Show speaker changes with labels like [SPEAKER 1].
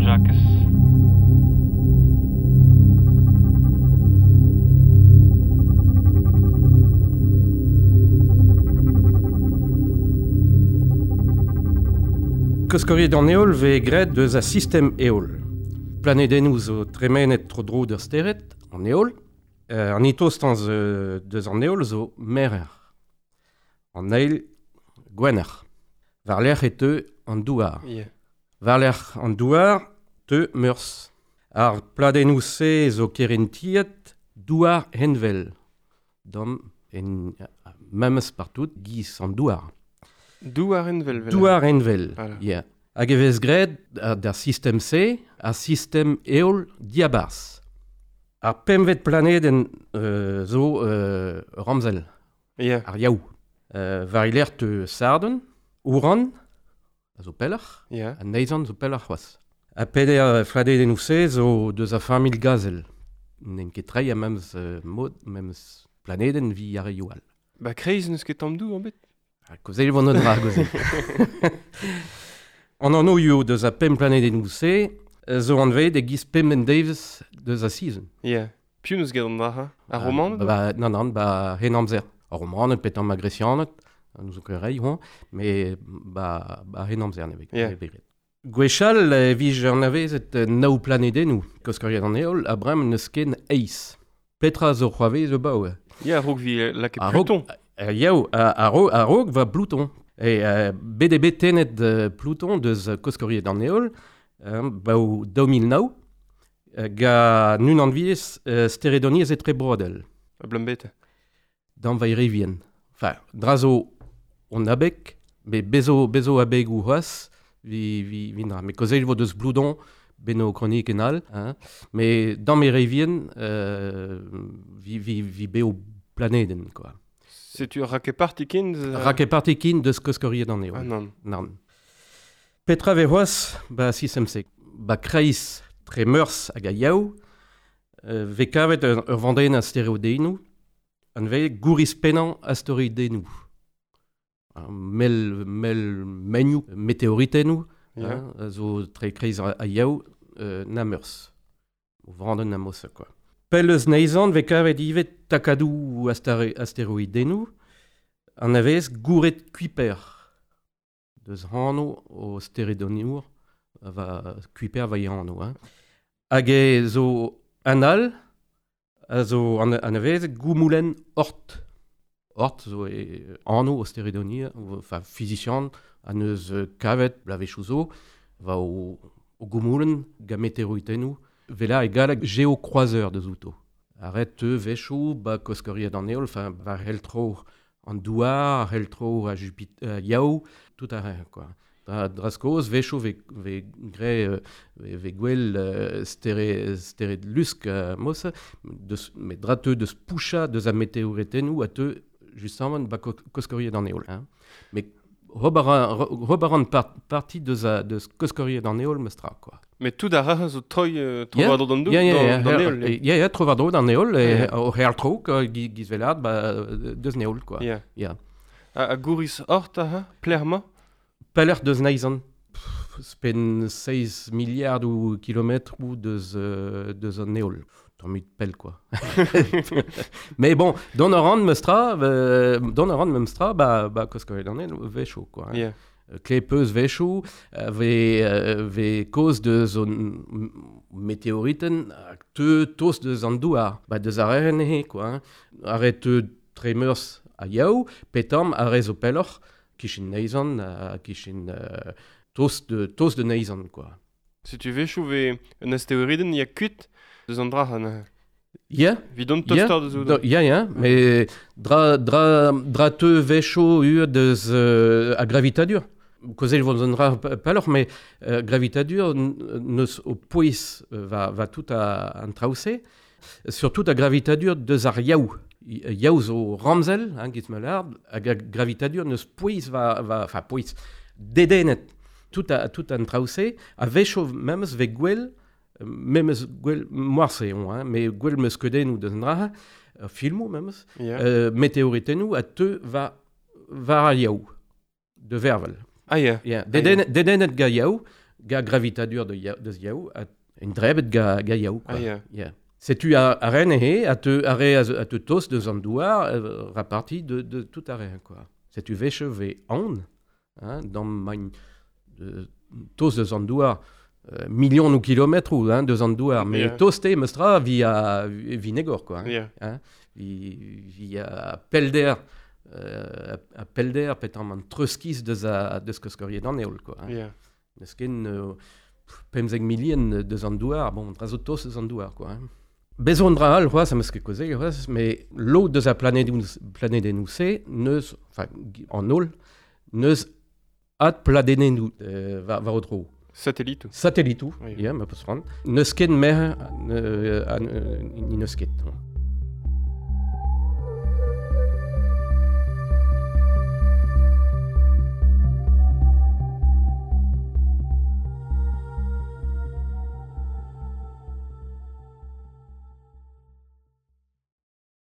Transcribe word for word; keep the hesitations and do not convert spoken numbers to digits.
[SPEAKER 1] Jakez.
[SPEAKER 2] Koskoriet an heol vez graet deus a sistem heol. Planedennoù zo tremenet tro-dro d'ur stered, an heol. Euh, an itostañs euh, deus an heol zo merer. An eil gwener. War-lerc'h e teu an douar.
[SPEAKER 3] Yeah.
[SPEAKER 2] War-lerc'h an douar teu meurzh. Ar pladennoù-se zo kerentiet douar henvel. Dam en memes partout giz an douar.
[SPEAKER 3] Douar envel, vel.
[SPEAKER 2] Douar envel,
[SPEAKER 3] Voilà.
[SPEAKER 2] yeah. Hag e vez graet d'ar sistem-se, ar sistem heol diabarzh. Ar pemvet planedenn euh, zo euh, ramzel,
[SPEAKER 3] Yeah.
[SPEAKER 2] ar yaou. Euh, war iler teu Sarden, Ouran, a zo pelloc'h,
[SPEAKER 3] Yeah.
[SPEAKER 2] ha Neizhan zo pelloc'h c'hoazh. Ha peder fladedennoù-se zo deus a familh gazel. N'en ket treiñ a memes euh, mod, memes planedenn vi ar reioù all.
[SPEAKER 3] Ba kreiz n'eus ket tamm dou, an bet?
[SPEAKER 2] Ha kozel vont an dra, kozel. An anv eo deus a pemp planedennoù-se zo anvet e giz pemp devezh deus a sizhun.
[SPEAKER 3] Yeah. Piv n'eus get an dra, ha? Ar romaned?
[SPEAKER 2] Ba, ba, nan, nan, ba hen amzer. Ar romaned, petan ma gresianed, nous zo ket rei, hoñ, mais ba, ba hen amzer ne vez
[SPEAKER 3] Yeah.
[SPEAKER 2] ne vez graet. Gwechall e vije anavezet nav planedennoù, koskoriet an heol, a brem n'eus ken eizh. Petra zo c'hoarvez zo baoe.
[SPEAKER 3] Yeah, a-raok vi lakaet
[SPEAKER 2] A-raok-
[SPEAKER 3] Pluton.
[SPEAKER 2] Euh, Yaou, a-raok a-raok va Pluton. E euh, bet eo bet tennet euh, Pluton deus koskoriet an heol, euh, baou daou mil nav, euh, ga nun anviez euh, steredoniezh etrebroadel,
[SPEAKER 3] A blambet.
[SPEAKER 2] d'an vairevien. Enfin, dra zo on abeg, me bezo, bezo abeg ou c'hoazh, vi, vi, vi dra. Me kozel vo deus Bloudon, beno kronik en all, hein. Mais dans mes revien, euh, vi, vi, vi beo planeden, quoi.
[SPEAKER 3] Setu ar rakepartikin?
[SPEAKER 2] Rakepartikin deus koskoriet an heol.
[SPEAKER 3] Ah, nan.
[SPEAKER 2] Nan. Petra ve c'hoazh, ba sistem-se. Ba kreiz tre meurzh hag a yaou, euh, ve kavet ur, ur vandenn asteroidennoù, an vez gouriz pennañ asteroidennoù. Mel, mel menioù, meteoritennoù,
[SPEAKER 3] Yeah.
[SPEAKER 2] hein, zo tre kreiz a, a yaou, euh, na meurzh. O vandenn a mosa, quoi. Pell eus neizhan ve kavet ivez takadoù astare- asteroidennoù, an avez gouret Kuiper. Deus anv o steredoniour, va Kuiper va e anv, hein. Hag e zo an all, a zo an, an avez goumoulenn Oort. Oort zo e anv o steredonia, enfin physician, an eus kavet blavezhioù zo, va o, o goumoulenn ga meteoritennoù, vela e galleg géocroiseur deus outo. Arret teu vechoù, ba koskoriet an heol, enfin, war heltro an douar, heltro a Jupiter, euh, yaou, tout a rien, quoi. Dra, draskoz, vechoù ve, ve gre, euh, ve, ve gwell euh, stere, stere lusk euh, mos, deus, met dra teu deus poucha deus a meteoritennoù a teu justement ba ko- koskoriet an heol, hein. Mais hob a ra- hob a ran par, parti deus a deus koskoriet an heol meus tra, quoi.
[SPEAKER 3] Mais tout ar ra zo troi euh, tro
[SPEAKER 2] Yeah.
[SPEAKER 3] war dro d'an dou,
[SPEAKER 2] Ya, ya,
[SPEAKER 3] d'an
[SPEAKER 2] ya,
[SPEAKER 3] d'an
[SPEAKER 2] her-
[SPEAKER 3] heol.
[SPEAKER 2] eh, ya, ya, tro war dro d'an heol, e
[SPEAKER 3] Yeah.
[SPEAKER 2] o her tro, quoi, gi- giz velad, ba, deus neol, quoi.
[SPEAKER 3] Yeah.
[SPEAKER 2] Ya.
[SPEAKER 3] A, a gouriz Oort, aha, plec'h ma?
[SPEAKER 2] Pelec'h deus neizhan. Pff, Spen seizh milliard ou kilometr ou deus, euh, deus an heol. Tammit pell, quoi. Mais bon, don a ran meus tra, euh, don a ran meus tra, ba, ba koskoriet an heol, vecho, quoi. Hein.
[SPEAKER 3] Yeah.
[SPEAKER 2] Klepeus vechoù, euh, ve, euh, ve koz deus an meteoriten, hag teu tost deus an douar. Ba deus ar eren ehe, quoi. Hein. Ar re teu tremeurs a yaou, petam ar re zo pelloc'h, kishin neizhan, ha kishin euh, tost de, tost de neizhan, quoi.
[SPEAKER 3] Setu vechoù ve un asteroidenn ya kuit deus an dra, an
[SPEAKER 2] Ya,
[SPEAKER 3] Vidon
[SPEAKER 2] Ya,
[SPEAKER 3] tostar deus
[SPEAKER 2] do, ya, ya, mais dra, dra, dra teu vechoù ur deus euh, a gravitadur. Kozel vont an dra pelloc'h, mais euh, gravitadur neus o pouez euh, va, va tout a, an traoù-se, surtout a gravitadur deus ar yaou. Yaou zo ramzel, hein, giz melard, hag a gravitadur neus pouez va, va, enfin pouez, dedennet tout a, tout an traoù-se, a vechoù memes ve gwell, memes gwell moarse on, hein, mais gwell meus kedennoù deus an dra, euh, filmoù memes,
[SPEAKER 3] Yeah.
[SPEAKER 2] euh, meteoritennoù a teu va, var ar yaou, de vervel.
[SPEAKER 3] Ah, yeah.
[SPEAKER 2] Yeah. Dedennet, dedennet ga yaou, ga gravitadur de ya, deus yaou, a un drebet ga, ga yaou, quoi.
[SPEAKER 3] Ah ya.
[SPEAKER 2] Yeah. Setu a, a ren ehe, a te, a re, a, te tos deus an douar, euh, raparti de, de tout a re, quoi. Setu veche ve an, hein, dans magn, de, tos deus an douar, euh, million ou kilomètres ou, hein, deus an douar, mais
[SPEAKER 3] Yeah.
[SPEAKER 2] toste meustra via vi negor, quoi. Hein.
[SPEAKER 3] Ya.
[SPEAKER 2] Hein, vi, via pelder, euh, a pelder petam an treuskiz deus a deus koskoriet an eol, quoi. Hein.
[SPEAKER 3] Ya.
[SPEAKER 2] Neus ken euh, pemzek milien deus an douar, bon, dra zo tos deus an douar, quoi. Hein. Bezo an dra all, c'hoazh, am eus ket kaozeet, c'hoazh, mais lod deus a planedennoù planedennoù-se, neus, enfin, an holl, neus ad pladenennoù euh, war, war o dro.
[SPEAKER 3] Satellitoù.
[SPEAKER 2] Satellitoù,
[SPEAKER 3] Oui.
[SPEAKER 2] ya, ma peus c'hoant. Neus ket mer, euh, an, euh, ni neus ket.